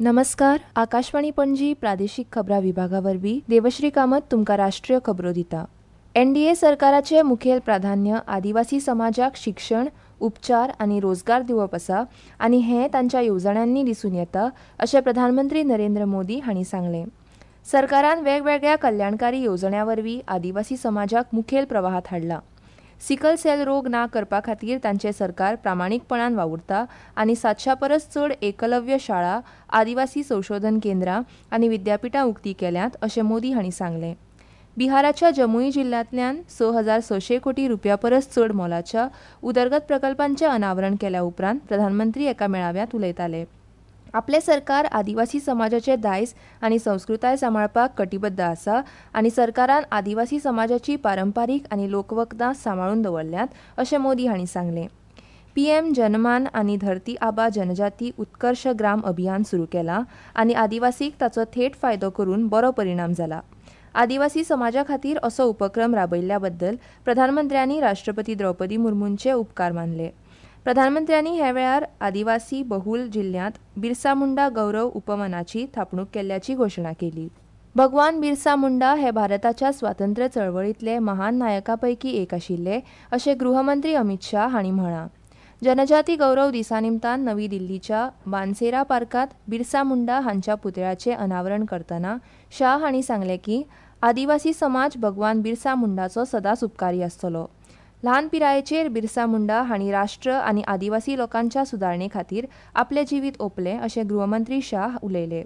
नमस्कार, आकाशवाणी पणजी प्रादेशीक खबरां विभागा वरवीं देवश्री कामत तुमकां राष्ट्रीय खबरो दिता. एनडीए सरकाराचे मुखेल प्राधान्य आदिवासी समाजाक शिक्षण, उपचार आनी रोजगार दिवप आसा आनी हें तांच्या येवजण्यांनी दिसून येता अशें प्रधानमंत्री नरेंद्र मोदी हांणी सांगलें. सरकारान वेगवेगळ्या कल्याणकारी येवजण्यां वरवीं आदिवासी समाजाक मुखेल प्रवाहांत हाडला. सिकल सेल रोग ना करपा खातीर तांचे सरकार प्रामाणीकपणान वावुरता आनी 700 परस चड एकलव्य शाळा, आदिवासी संशोधन केंद्रां आनी विद्यापिठां उक्तीं केल्यांत अशें मोदी हांणी सांगलें. बिहाराच्या जमुई जिल्ह्यांतल्यान 6600 कोटी रुपया परस चड मोलाच्या उदरगत प्रकल्पांचें अनावरण केल्या उपरांत प्रधानमंत्री एका मेळाव्यांत उलयताले. आपलें सरकार आदिवासी समाजाचे दायज आनी संस्कृताय सांबाळपाक कटिबद्ध आसा आनी सरकारान आदिवासी समाजाची पारंपारीक आनी लोकवखदां सांबाळून दवरल्यांत अशें मोदी हांणी सांगलें. पीएम जनमान आनी धरती आबा जनजाती उत्कर्ष ग्राम अभियान सुरू केलां आनी आदिवासीक ताचो थेट फायदो करून बरो परिणाम जाला. आदिवासी समाजा खातीर असो उपक्रम राबयिल्ल्या बद्दल प्रधानमंत्र्यांनी राष्ट्रपती द्रौपदी मुर्मूंचे उपकार मानले. प्रधानमंत्र्यांनी हे वेळार आदिवासी बहुल जिल्ह्यांत बिरसा मुंडा गौरव उपवनाची थापणूक केल्ल्याची घोशणा केली. भगवान बिरसा मुंडा हे भारताच्या स्वातंत्र्य चळवळींतले महान नायकां पैकी एक आशिल्ले अशें गृहमंत्री अमित शाह हांणी म्हळां. जनजाती गौरव दिसा निमतान नवी दिल्लीच्या बानसेरा पार्कांत बिरसा मुंडा हांच्या पुतळ्याचें अनावरण करतना शाह हांणी सांगलें की आदिवासी समाज भगवान बिरसा मुंडाचो सदांच उपकारी आसतलो. ल्हान पिरायेचेर बिरसा मुंडा हांणी राष्ट्र आनी आदिवासी लोकांच्या सुदारणे खातीर आपलें जिवीत ओंपलें अशें गृहमंत्री शाह उलयले.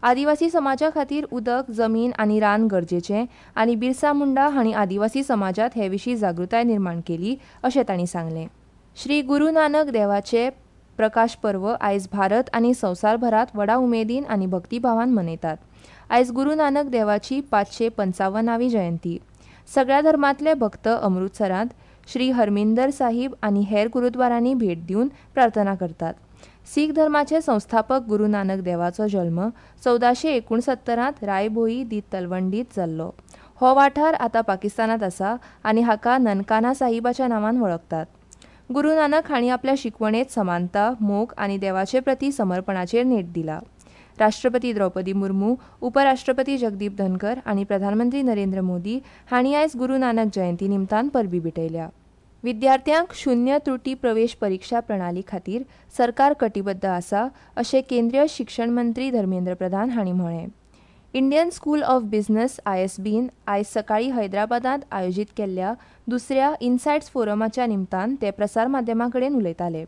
आदिवासी समाजा खातीर उदक, जमीन आनी रान गरजेचें आनी बिरसा मुंडा हांणी आदिवासी समाजांत हे विशीं जागृताय निर्माण केली अशें तांणी सांगलें. श्री गुरू नानक देवाचे प्रकाश पर्व आयज भारत आनी संवसारभरांत व्हडा उमेदीन आनी भक्तीभावान मनयतात. आयज गुरू नानक देवाची 555वी जयंती. सगळ्या धर्मांतले भक्त अमृतसरांत श्री हरमिंदर साहिब आनी हेर गुरुद्वारांनी भेट दिवन प्रार्थना करतात. सीख धर्माचे संस्थापक गुरू नानक देवाचो जल्म 1469 रायभोई दी तलवंडीत जाल्लो. हो वाठार आतां पाकिस्तानांत आसा आनी हाका ननकाना साहिबाच्या नांवान वळखतात. गुरू नानक हांणी आपल्या शिकवणेंत समानता, मोग आनी देवाचे प्रती समर्पणाचेर नेट दिला. राष्ट्रपती द्रौपदी मुर्मू, उपराष्ट्रपती जगदीप धनकर आनी प्रधानमंत्री नरेंद्र मोदी हांणी आयज गुरू नानक जयंती निमतान परबी भेटयल्या. विद्यार्थ्यांक शून्य त्रुटी प्रवेश परिक्षा प्रणाली खातीर सरकार कटिबद्ध आसा अशें केंद्रीय शिक्षण मंत्री धर्मेंद्र प्रधान हांणी म्हळें. इंडियन स्कूल ऑफ बिझनेस आयएसबीन आयज सकाळीं हैदराबादांत आयोजीत केल्ल्या दुसऱ्या इनसायट्स फोरमाच्या निमतान ते प्रसार माध्यमां कडेन उलयताले.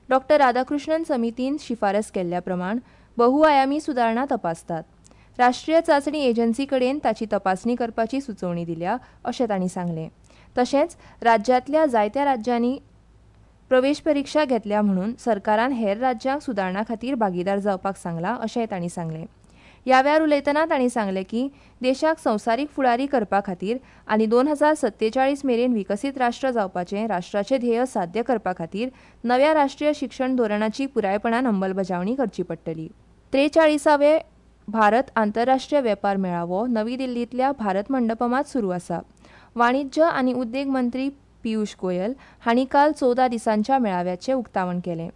डॉ. राधाकृष्णन समितीन शिफारस केल्ल्या प्रमाण बहुआयामी सुदारणा तपासतात. राष्ट्रीय चांचणी एजन्सी कडेन ताची तपासणी करपाची सुचोवणी दिल्या अशें तांणी सांगलें. तशेंच राज्यांतल्या जायत्या राज्यांनी प्रवेश परिक्षा घेतल्या म्हणून सरकारान हेर राज्यांक सुदारणा खातीर भागीदार जावपाक सांगलां अशेंय तांणी सांगलें. ह्या वेळार उलयतना तांणी सांगलें की देशाक संवसारीक फुडारी करपा खातीर आनी 2047 मेरेन विकसीत राष्ट्र जावपाचें राष्ट्राचें ध्येय साध्य करपा खातीर नव्या राष्ट्रीय शिक्षण धोरणाची पुरायपणान अंमलबजावणी करची पडटली. 43वे भारत आंतरराष्ट्रीय वेपार मेळावो नवी दिल्लींतल्या भारत मंडपमांत सुरू आसा. वाणिज्य आनी उद्देग मंत्री पियुष गोयल हांणी काल 14 दिसांच्या मेळाव्याचें उक्तावण केलें.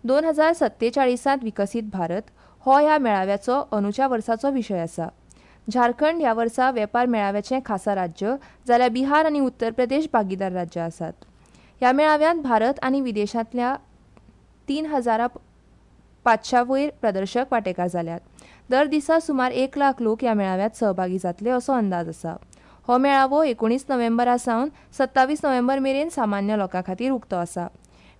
2047 विकसीत भारत हो ह्या मेळाव्याचो अंदूच्या वर्साचो विशय आसा. झारखंड ह्या वर्सा वेपार मेळाव्याचें खासा राज्य जाल्यार बिहार आनी उत्तर प्रदेश भागीदार राज्यां आसात. ह्या मेळाव्यांत भारत आनी विदेशांतल्या 3500 वयर प्रदर्शक वांटेकार जाल्यात. दर दिसा सुमार 1 लाख लोक ह्या मेळाव्यांत सहभागी जातले असो अंदाज आसा. हो मेळावो 19 नोव्हेंबरा सावन 27 नोव्हेंबर मेरेन सामान्य लोकां खातीर उक्तो आसा.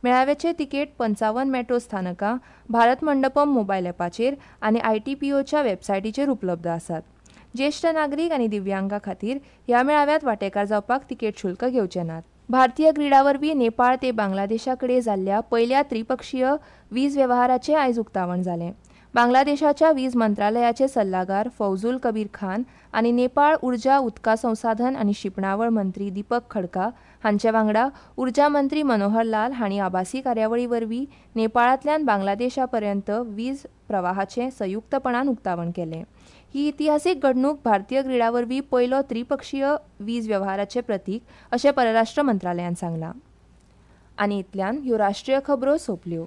मेळाव्याचे तिकेट 55 मेट्रो स्थानकां, भारत मंडपम मोबायल ॲपाचेर आनी आयटीपीओच्या वेबसायटीचेर उपलब्ध आसात. ज्येश्ठ नागरीक आनी दिव्यांगां खातीर ह्या मेळाव्यांत वांटेकार जावपाक तिकेट शुल्क घेवचे नात. भारतीय ग्रीडा वरवीं नेपाळ ते बांगलादेशा कडेन जाल्ल्या पयल्या त्रिपक्षीय वीज वेव्हाराचें आयज उक्तावण जालें. बांगलादेशाच्या वीज मंत्रालयाचे सल्लागार फौजुल कबीर खान आनी नेपाळ उर्जा उदका संसाधन आनी शिंपणावळ मंत्री दीपक खडका हांचे वांगडा उर्जा मंत्री मनोहर लाल हांणी आभासी कार्यावळी वरवीं नेपाळांतल्यान बांगलादेशा पर्यंत वीज प्रवाहाचें संयुक्तपणान उक्तावण केलें. ही इतिहासीक घडणूक भारतीय ग्रीडा वरवीं पयलो त्रिपक्षीय वीज वेव्हाराचें प्रतीक अशें परराष्ट्र मंत्रालयान सांगलां. आनी इतल्यान ह्यो राष्ट्रीय खबरो सोंपल्यो.